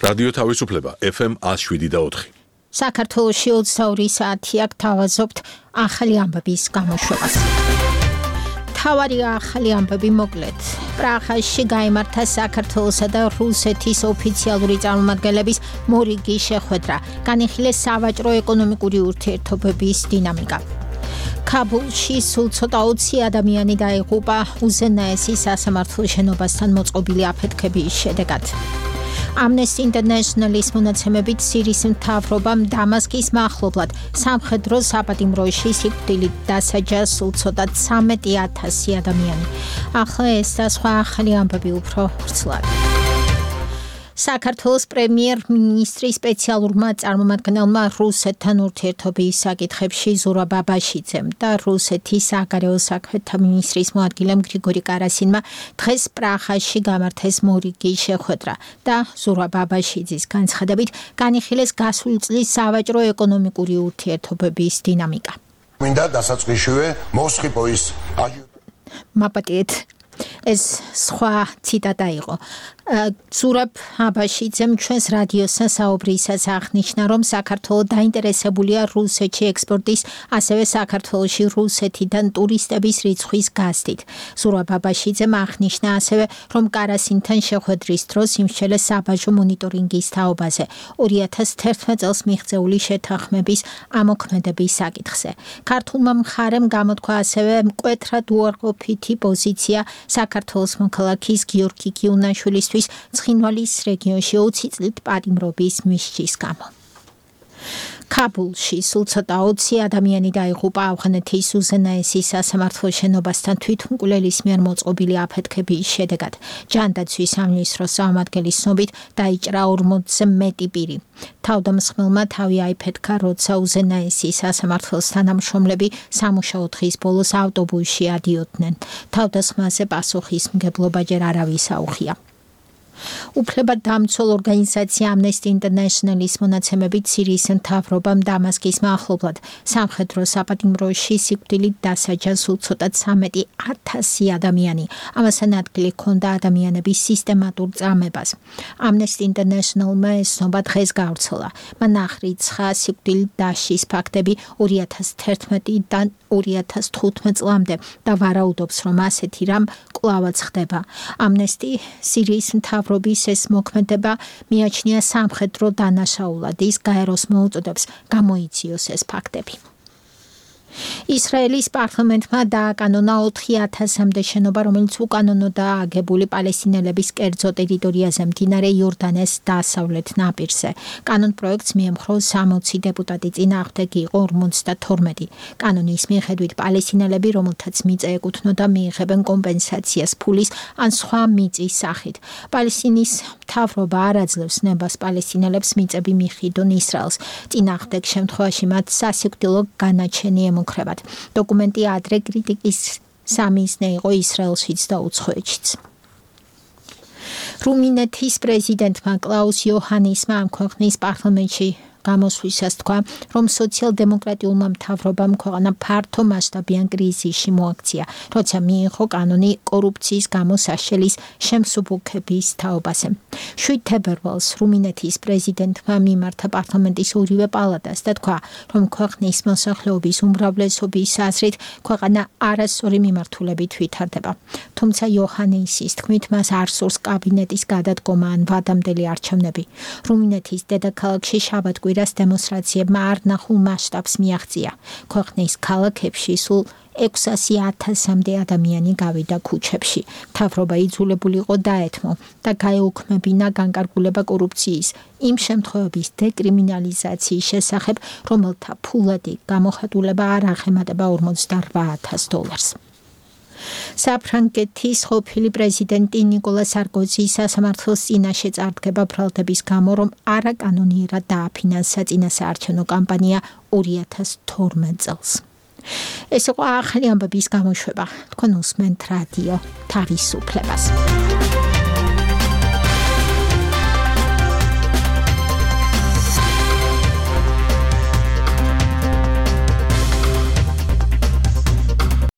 რადიო თავისუფლება FM 107.4. საქართველოში 22 საათია გთავაზობთ ახალი ამბების გამოშვებას. თავარი ახალი ამბები მოკლედ. პრაღაში გაიმართა საქართველოსა და რუსეთის ოფიციალური წარმომადგენლების მორიგი შეხვედრა. განიხილეს სავაჭრო-ეკონომიკური ურთიერთობების დინამიკა. ქაბულში სულ ცოტა 20 ადამიანი დაიღუპა უზენაესი სასამართლო შენობასთან მოწყობილი აფეთქების შედეგად. Amnesty International-ის მონაცემებით სირიის მთავრობამ დამასკის მახლობლად სამხედრო საპატიმროში სიკვდილით დასაჯა სულ ცოტა 13,000 ადამიანი. ახლა ეს და სხვა ახალი ამბები უფრო ვრცლად. საქართველოს პრემიერ-მინისტრის სპეციალურმა წარმომადგენელმა რუსეთთან ურთიერთობის საკითხებში ზურაბ ბაბაშიძემ და რუსეთის საგარეო საქმეთა მინისტრის მოადგილემ გრიგორი კარასინმა დღეს პრაღაში გამართეს მორიგი შეხვედრა და ზურაბ ბაბაშიძის განცხადებით განიხილეს გასული წლის სავაჭრო-ეკონომიკური ურთიერთობების დინამიკა. მინდა დასაწყისშივე მოსხიპოის მაპატიეთ ეს სხვა ციტატა იყო. ზურაბ ბაბაშიძემ ჩვენს რადიოსთან საუბრისას აღნიშნა, რომ საქართველო დაინტერესებულია რუსეთში ექსპორტის, ასევე საქართველოში რუსეთიდან ტურისტების რიცხვის გაზრდით. ზურაბ ბაბაშიძემ აღნიშნა ასევე, რომ კარასინთან შეხვედრის დროს იმსჩელეს საბაჟო მონიტორინგის თაობაზე 2011 წელს მიღწეული შეთანხმების ამოქმედების საკითხზე. ქართულმა მხარემ გამოთქვა ასევე მკვეთრად უარყოფითი პოზიცია საქართველოს მოქალაქის გიორგი გიუნაშვილისთვის ცხინვალის რეგიონში 20 წლით პატიმრობის მისჯის გამო. ქაბულში სულ ცოტა 20 ადამიანი დაიღუპა ავღანეთის უზენაესი სასამართლო შენობასთან თვითმკვლელის მიერ მოწყობილი აფეთქების შედეგად. ჯანდაცვის სამინისტროს წარმომადგენლის ცნობით დაიჭრა 40-ზე მეტი პირი. თავდამსხმელმა თავი აიფეთქა, როცა უზენაესი სასამართლოს თანამშრომლები სამუშაო დღის ბოლოს ავტობუსში ადიოდნენ. თავდასხმაზე პასუხისმგებლობა ჯერ არავის აუღია. უფლებადამცველ ორგანიზაცია Amnesty International-ის მონაცემებით სირიის მთავრობამ დამასკის მახლობლად სამხედრო საპატიმროში სიკვდილით დასაჯა სულ ცოტა 13,000 ადამიანი. ამასთან ადგილი ჰქონდა ადამიანების სისტემატურ წამებას. Amnesty International-მა ეს ცნობა დღეს გავრცელა. მან აღრიცხა სიკვდილით დასჯის ფაქტები 2011-დან 2015 წლამდე და ვარაუდობს, რომ ასეთი რამ კვლავაც ხდება. Amnesty სირიის მთავრობის ეს მოქმედება მიაჩნია სამხედრო დანაშაულად. ის გაეროს მოუწოდებს გამოიციოს ეს ფაქტები. ისრაელის პარლამენტმა დააკანონა 4,000-მდე შენობა, რომელიც უკანონოდაა აგებული პალესტინელების კერძო ტერიტორიაზე მდინარე იორდანეს დასავლეთ ნაპირზე. კანონპროექტს მიემხრო 60 დეპუტატი, წინააღმდეგ იყო 52. კანონის მიხედვით პალესტინელები, რომელთაც მიწა ეკუთვნოდა, მიიღებენ კომპენსაციას ფულის ან სხვა მიწის სახით. პალესტინის მთავრობა არ აძლევს ნებას პალესტინელებს მიწები მიჰყიდონ ისრაელს. წინააღმდეგ შემთხვევაში მათ სასიკვდილო განაჩენი ემუქრებათ. დოკუმენტი ადრე კრიტიკის სამიზნე იყო ისრაელშიც და უცხოეთშიც. რუმინეთის პრეზიდენტმა კლაუს იოჰანისმა ამ ქვეყნის პარლამენტში გამოსვლისას თქვა, რომ სოციალ-დემოკრატიულმა მთავრობამ ქვეყანა ფართო მასშტაბიან კრიზისში მოაქცია, როცა მიიღო კანონი კორუფციის გამო საშელის შემსუბუქების თაობაზე. 7 თებერვალს რუმინეთის პრეზიდენტმა მიმართა პარლამენტის ორივე პალატას და თქვა, რომ ქვეყნის მოსახლეობის უმრავლესობის აზრით ქვეყანა არასწორი მიმართულებით ვითარდება. თუმცა იოჰანისის თქმით, მას არ სურს კაბინეტის გადადგომა ან ვადამდელი არჩევნები. რუმინეთის დედაქალაქში შაბათ-კვირას დემონსტრაციებმა არ ნახულ მასშტაბს მიაღწია. ქვეყნის ქალაქებში სულ 600,000-მდე ადამიანი გავიდა ქუჩებში. მთავრობა იძულებული იყო დაეთმო და გაეუქმებინა განკარგულება კორუფციის იმ შემთხვევების დეკრიმინალიზაციის შესახებ, რომელთა ფულადი გამოხატულება არ აღემატება $48,000. საფრანგეთის ყოფილი პრეზიდენტი ნიკოლა სარკოზის სასამართლოს წინაშე წარდგება ბრალდების გამო, რომ არაკანონიერად დააფინანსა წინასაარჩევნო კამპანია 2012 წელს. ეს იყო ახალი ამბების გამოშვება. თქვენ უსმენთ რადიო თავისუფლებას.